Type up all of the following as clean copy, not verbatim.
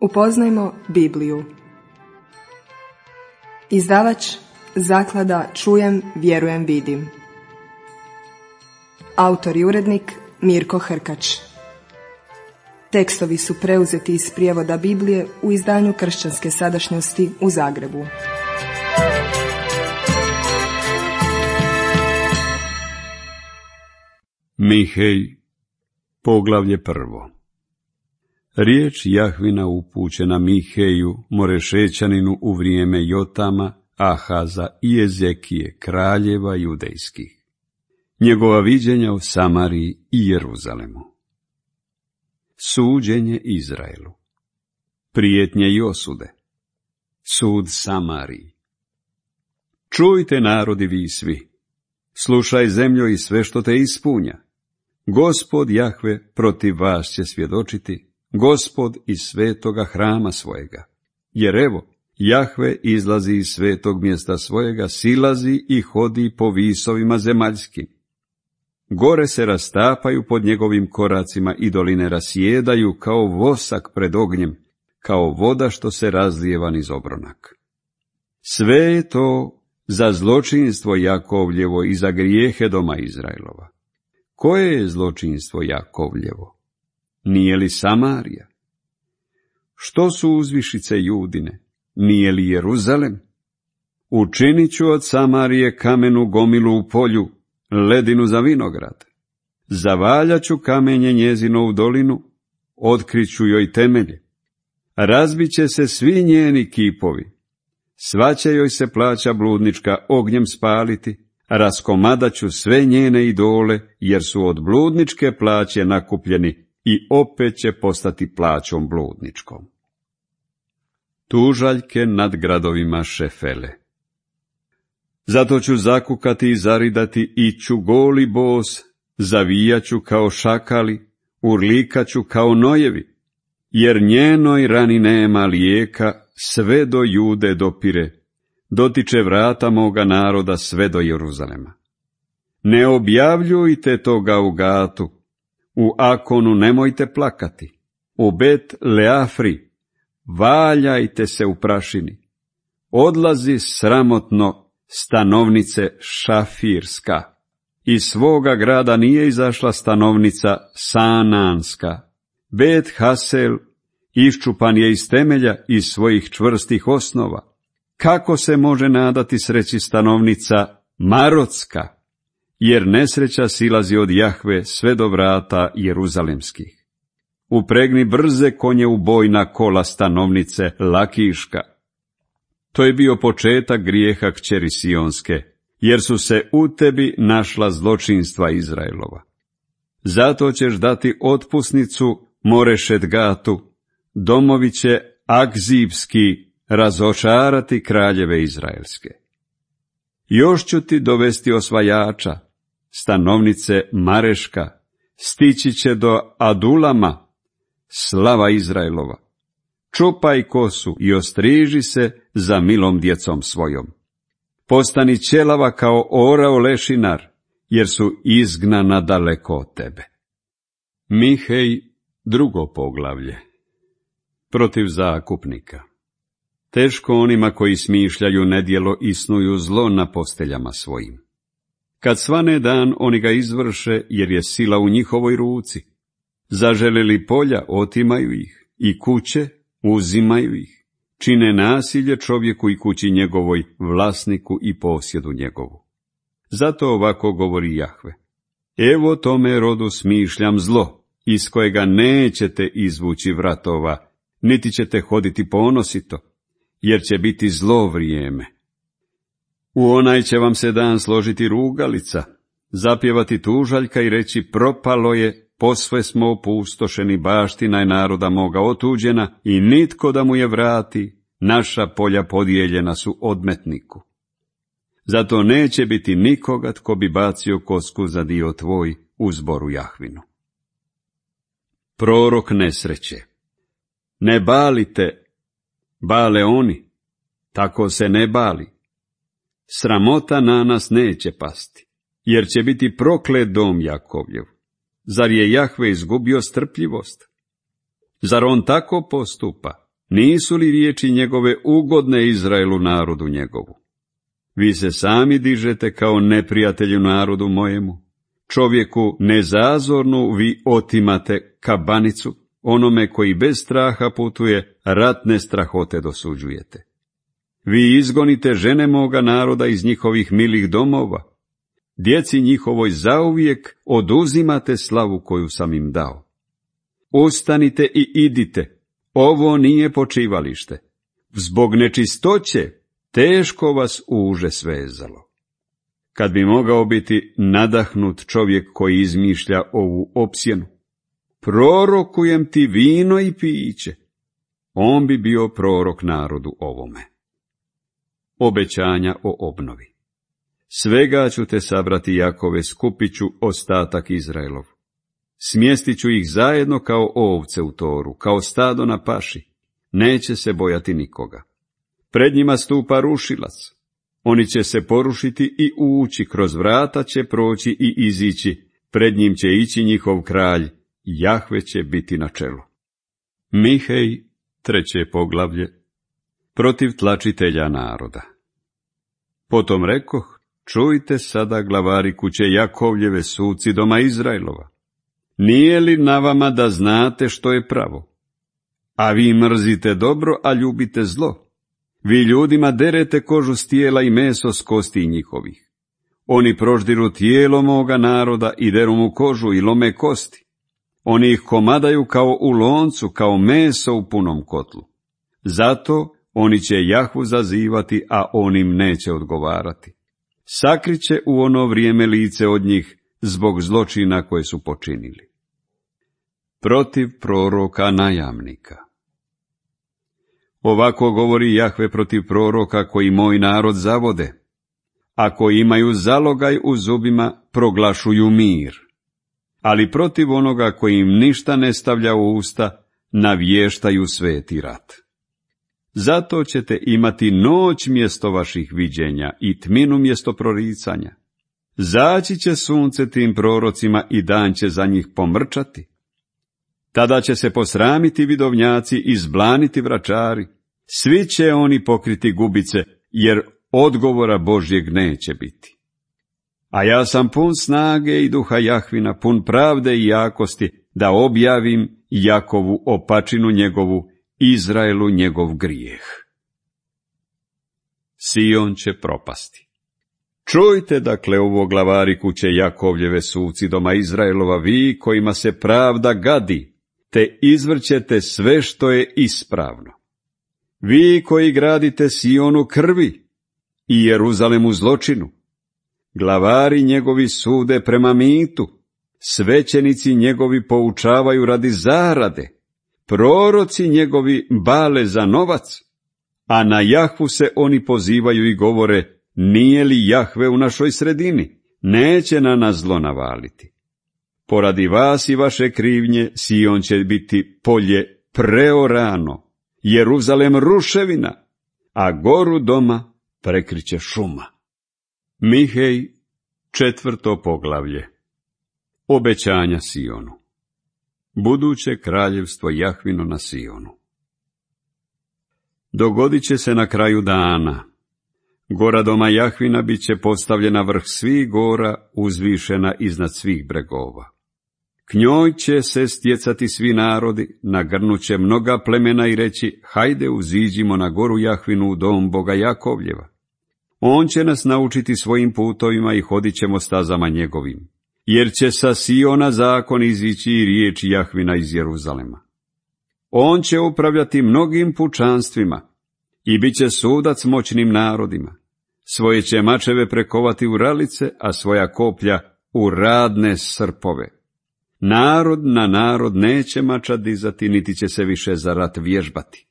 Upoznajmo Bibliju. Izdavač Zaklada Čujem, vjerujem, vidim. Autor i urednik Mirko Hrkač. Tekstovi su preuzeti iz prijevoda Biblije u izdanju Kršćanske sadašnjosti u Zagrebu. Mihej, poglavlje 1. Riječ Jahvina upućena Miheju, Morešećaninu, u vrijeme Jotama, Ahaza i Ezekije, kraljeva judejskih. Njegova viđenja o Samariji i Jeruzalemu. Suđenje Izraelu. Prijetnje i osude. Sud Samariji. Čujte, narodi, vi svi. Slušaj, zemljo, i sve što te ispunja. Gospod Jahve protiv vas će svjedočiti, Gospod iz svetoga hrama svojega. Jer evo, Jahve izlazi iz svetog mjesta svojega, silazi i hodi po visovima zemaljskim. Gore se rastapaju pod njegovim koracima i doline rasjedaju kao vosak pred ognjem, kao voda što se razlijeva niz obronak. Sve je to za zločinstvo Jakovljevo i za grijehe doma Izraelova. Koje je zločinstvo Jakovljevo? Nije li Samarija? Što su uzvišice Judine? Nije li Jeruzalem? Učinit ću od Samarije kamenu gomilu u polju, ledinu za vinograd. Zavaljat ću kamenje njezino u dolinu, otkriću joj temelje. Razbit će se svi njeni kipovi. Sva će joj se plaća bludnička ognjem spaliti, raskomadat ću sve njene idole, jer su od bludničke plaće nakupljeni i opet će postati plaćom bludničkom. Tužaljke nad gradovima Šefele. Zato ću zakukati i zaridati, iću goli bos, zavijaću kao šakali, urlikaću kao nojevi, jer njenoj rani nema lijeka, sve do Jude dopire, dotiče vrata moga naroda sve do Jeruzalema. Ne objavljujte toga u Gatu, u Akonu nemojte plakati, u Bet Leafri valjajte se u prašini. Odlazi sramotno stanovnice Šafirska. Iz svoga grada nije izašla stanovnica Sananska. Bet Hasel iščupan je iz temelja, iz svojih čvrstih osnova. Kako se može nadati sreći stanovnica Marotska? Jer nesreća silazi od Jahve sve do vrata jeruzalemskih. Upregni brze konje u bojna kola stanovnice Lakiška. To je bio početak grijeha kćeri Sionske, jer su se u tebi našla zločinstva Izraelova. Zato ćeš dati otpusnicu Morešet Gatu, domovi će Akzibski razočarati kraljeve izraelske. Još ću ti dovesti osvajača, stanovnice Mareška, stići će do Adulama, slava Izraelova. Čupaj kosu i ostriži se za milom djecom svojom. Postani ćelava kao orao lešinar, jer su izgnana daleko od tebe. Mihej, 2. poglavlje. Protiv zakupnika. Teško onima koji smišljaju nedjelo i snuju zlo na posteljama svojim. Kad svane dan, oni ga izvrše, jer je sila u njihovoj ruci. Zaželeli polja, otimaju ih, i kuće, uzimaju ih. Čine nasilje čovjeku i kući njegovoj, vlasniku i posjedu njegovu. Zato ovako govori Jahve. Evo tome rodu smišljam zlo, iz kojega nećete izvući vratova, niti ćete hoditi ponosito, jer će biti zlo vrijeme. U onaj će vam se dan složiti rugalica, zapjevati tužaljka i reći propalo je, posve smo opustošeni, baština je naroda moga otuđena i nitko da mu je vrati, naša polja podijeljena su odmetniku. Zato neće biti nikoga tko bi bacio kosku za dio tvoj u zboru Jahvinu. Prorok nesreće. Ne balite, bale oni, tako se ne bali. Sramota na nas neće pasti, jer će biti proklet dom Jakovljev. Zar je Jahve izgubio strpljivost? Zar on tako postupa? Nisu li riječi njegove ugodne Izraelu, narodu njegovu? Vi se sami dižete kao neprijatelju narodu mojemu. Čovjeku nezazornu vi otimate kabanicu, onome koji bez straha putuje, ratne strahote dosuđujete. Vi izgonite žene moga naroda iz njihovih milih domova. Djeci njihovoj zauvijek oduzimate slavu koju sam im dao. Ustanite i idite, ovo nije počivalište. Zbog nečistoće teško vas uže svezalo. Kad bi mogao biti nadahnut čovjek koji izmišlja ovu opsjenu, prorokujem ti vino i piće, on bi bio prorok narodu ovome. Obećanja o obnovi. Svega ću te sabrati, Jakove, skupit ću ostatak Izraelov. Smjestit ću ih zajedno kao ovce u toru, kao stado na paši. Neće se bojati nikoga. Pred njima stupa rušilac. Oni će se porušiti i ući, kroz vrata će proći i izići. Pred njim će ići njihov kralj, Jahve će biti na čelu. Mihej, 3. poglavlje. Protiv tlačitelja naroda. Potom rekoh, čujte sada, glavari kuće Jakovljeve, suci doma Izraelova. Nije li na vama da znate što je pravo? A vi mrzite dobro, a ljubite zlo. Vi ljudima derete kožu s tijela i meso s kosti njihovih. Oni proždiru tijelo moga naroda i deru mu kožu i lome kosti. Oni ih komadaju kao u loncu, kao meso u punom kotlu. Zato oni će Jahvu zazivati, a on im neće odgovarati. Sakriće u ono vrijeme lice od njih zbog zločina koje su počinili. Protiv proroka najamnika. Ovako govori Jahve protiv proroka koji moj narod zavode. Ako imaju zalogaj u zubima, proglašuju mir. Ali protiv onoga koji im ništa ne stavlja u usta, navještaju sveti rat. Zato ćete imati noć mjesto vaših viđenja i tminu mjesto proricanja. Zaći će sunce tim prorocima i dan će za njih pomrčati. Tada će se posramiti vidovnjaci i zblaniti vračari. Svi će oni pokriti gubice, jer odgovora Božjeg neće biti. A ja sam pun snage i duha Jahvina, pun pravde i jakosti, da objavim Jakovu opačinu njegovu, Izraelu njegov grijeh. Sion će propasti. Čujte dakle ovo, glavari kuće Jakovljeve, suci doma Izraelova, vi kojima se pravda gadi, te izvrćete sve što je ispravno. Vi koji gradite Sionu krvi i Jeruzalemu zločinu, glavari njegovi sude prema mitu, svećenici njegovi poučavaju radi zarade, proroci njegovi bale za novac, a na Jahvu se oni pozivaju i govore, nije li Jahve u našoj sredini, neće na nas zlo navaliti. Poradi vas i vaše krivnje, Sion će biti polje preorano, Jeruzalem ruševina, a goru doma prekriće šuma. Mihej, 4. poglavlje. Obećanja Sionu. Buduće kraljevstvo Jahvino na Sionu. Dogodit će se na kraju dana. Gora doma Jahvina bit će postavljena vrh svih gora, uzvišena iznad svih bregova. K njoj će se stjecati svi narodi, nagrnuće mnoga plemena i reći, hajde uziđimo na goru Jahvinu u dom Boga Jakovljeva. On će nas naučiti svojim putovima i hodit ćemo stazama njegovim, jer će sa Siona zakon izići i riječ Jahvina iz Jeruzalema. On će upravljati mnogim pučanstvima i bit će sudac moćnim narodima. Svoje će mačeve prekovati u ralice, a svoja koplja u radne srpove. Narod na narod neće mača dizati, niti će se više za rat vježbati.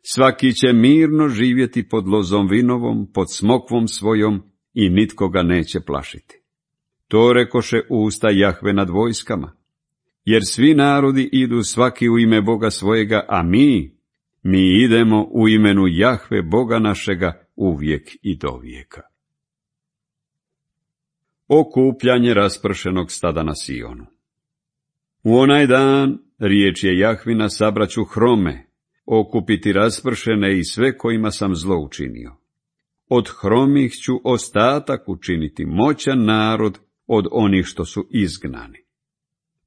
Svaki će mirno živjeti pod lozom vinovom, pod smokvom svojom i nitko ga neće plašiti. To rekoše usta Jahve nad vojskama. Jer svi narodi idu svaki u ime Boga svojega, a mi idemo u imenu Jahve Boga našega uvijek i do vijeka. Okupljanje raspršenog stada na Sionu. U onaj dan, riječ je Jahvina, sabraću hrome, okupiti raspršene i sve kojima sam zlo učinio. Od hromih ću ostatak učiniti, moćan narod od onih što su izgnani.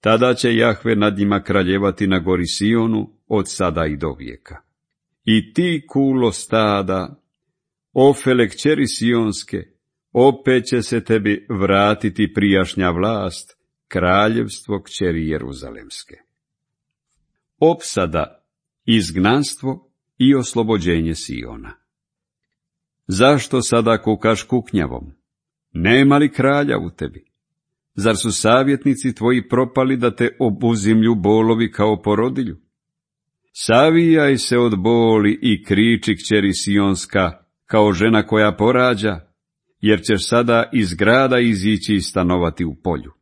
Tada će Jahve nad njima kraljevati na gori Sionu od sada i do vijeka. I ti, kulo stada, Ofele kćeri Sionske, opet će se tebi vratiti prijašnja vlast, kraljevstvo kćeri Jeruzalemske. Opsada, izgnanstvo i oslobođenje Siona. Zašto sada kukaš kuknjavom? Nema li kralja u tebi? Zar su savjetnici tvoji propali da te obuzimlju bolovi kao porodilju? Savijaj se od boli i kriči kćeri Sionska, kao žena koja porađa, jer ćeš sada iz grada izići i stanovati u polju.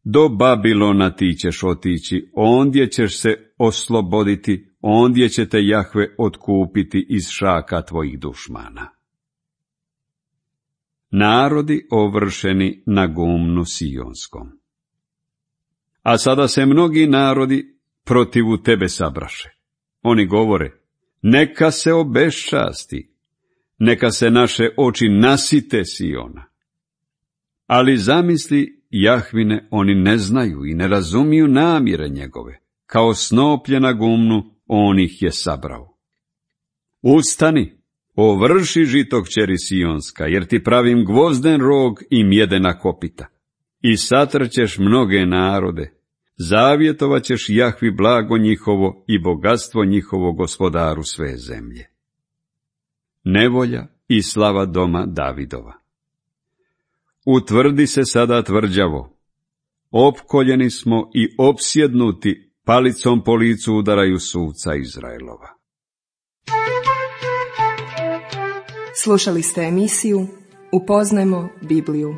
Do Babilona ti ćeš otići, ondje ćeš se osloboditi, ondje će te Jahve otkupiti iz šaka tvojih dušmana. Narodi ovršeni na gumnu Sionskom. A sada se mnogi narodi protivu tebe sabraše. Oni govore, neka se obeščasti, neka se naše oči nasite Siona. Ali zamisli Jahvine, oni ne znaju i ne razumiju namjere njegove, kao snoplje na gumnu on ih je sabrao. Ustani, ovrši žito kćeri Sionska, jer ti pravim gvozden rog i mjedena kopita. I satrćeš mnoge narode, zavjetovat ćeš Jahvi blago njihovo i bogatstvo njihovo gospodaru sve zemlje. Nevolja i slava doma Davidova. Utvrdi se sada tvrđavo, opkoljeni smo i opsjednuti, palicom po licu udaraju suca Izraelova. Slušali ste emisiju Upoznajmo Bibliju.